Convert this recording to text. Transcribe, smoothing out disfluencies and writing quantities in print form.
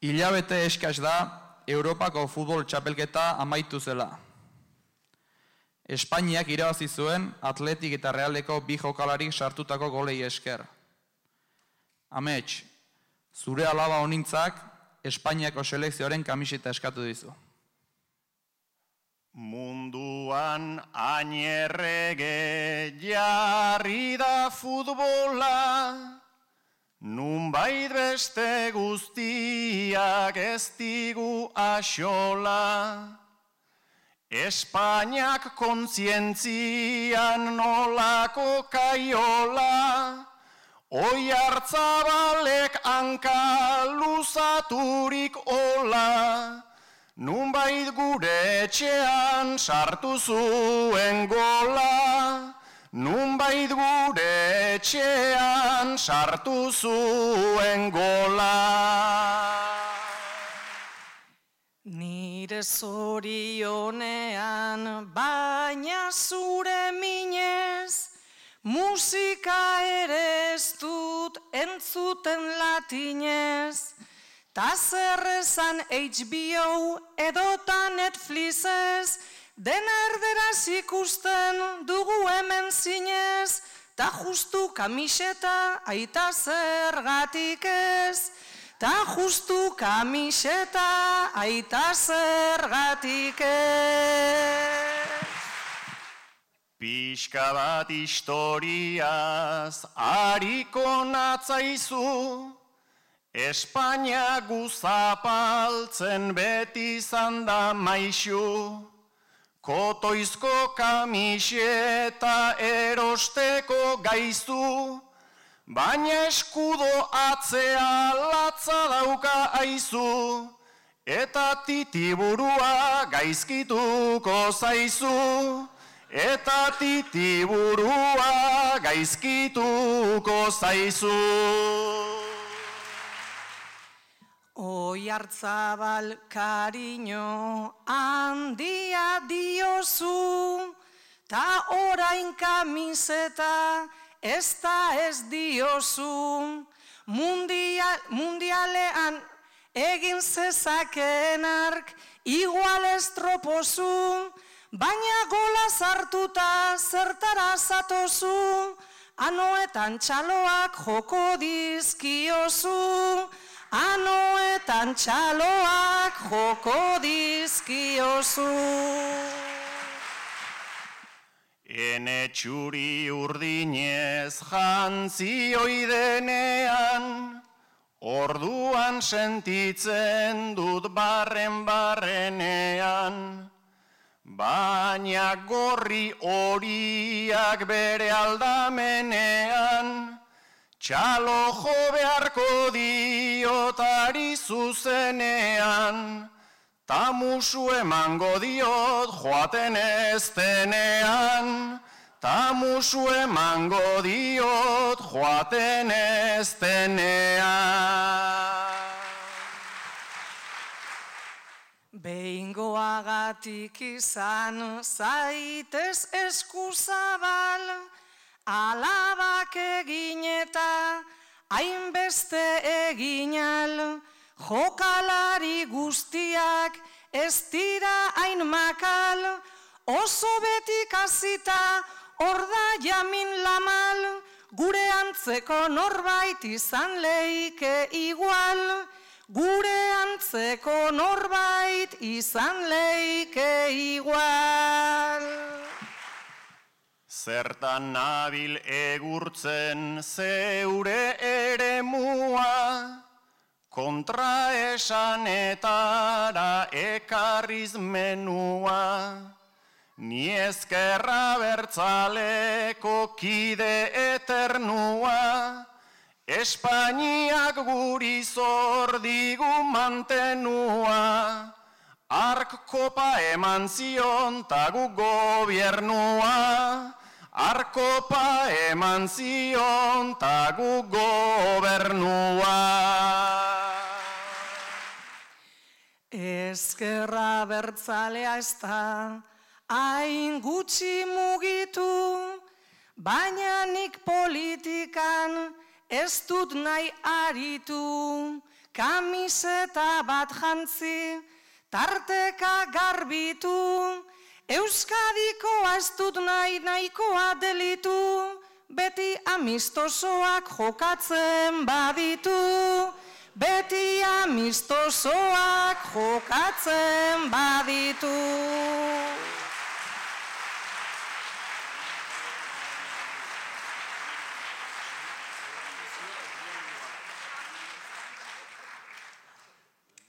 Hilabete eskas da Europako futbol txapelketa amaitu zela. Espainiak irabazi zuen Atletik eta Realeko bi jokalarik sartutako golei esker. Amets, zure alaba honintzak Espainiako selekzioaren kamiseta eskatu dizu. Munduan ainerrege jarri da futbola, nunbait beste guztiak ez digu axola. Espainiak kontzientzian nolako kaiola, Oiartzabalek hanka luzaturik ola, nunbait gure etxean sartu zuen gola, nunbait gure etxean sartu zuen gola. Nire zorionean baina zure minez, musika ere ez dut entzuten latinez, ta zer esan HBO edota Netflixez, dena erderaz ikusten dugu hemen zinez, ta justu kamiseta aita zergatik ez, ta justu kamiseta aita zergatik ez. Pixka bat historiaz hariko natzaizu, Espainia guzapaltzen beti izan da maixu, kotoizko kamiseta erosteko gaizu, baina eskudo atzea latza dauka aizu, eta titiburua gaizkituko zaizu. Eta titiburua gaizkituko zaizu. Oiartzabal kariño handia diozu, ta orain kamiseta ez da ez diozu. Mundialean egin zezakeen ark igual estropozu, baina gola sartuta zertara zatozu, anoetan txaloak joko dizkiozu, anoetan txaloak joko dizkiozu. Ene txuri urdinez jantzi oidenean, orduan sentitzen dut barrenean, baina gorri horiak bere aldamenean, txalo jo beharko diotari zuzenean, ta musu emango diot joaten ez denean, ta musu emango diot joaten ez denean. Behingoagatik izan zaitez eskuzabal, alabak egin eta hainbeste eginal, jokalari guztiak ez dira hain makal, oso betik hasita hor da jamin lamal, gure antzeko norbait izan leike igual, gure antzeko norbait izan leike igual. Zertan nabil egurtzen zeure eremua, kontraesanetara ekarriz menua, ni ezkerra bertzaleko kide eternua, Espainiak guri zor digu mantenua, ark kopa eman zion tagu gobernua, ark kopa eman zion tagu gobernua. Ezkerra bertzalea ez da hain gutxi mugitu, baina nik politikan ez dut nahi aritu, kamiseta bat jantzi, tarteka garbitu, Euskadikoa ez dut nahi nahikoa delitu, beti amistosoak jokatzen baditu, beti amistosoak jokatzen baditu.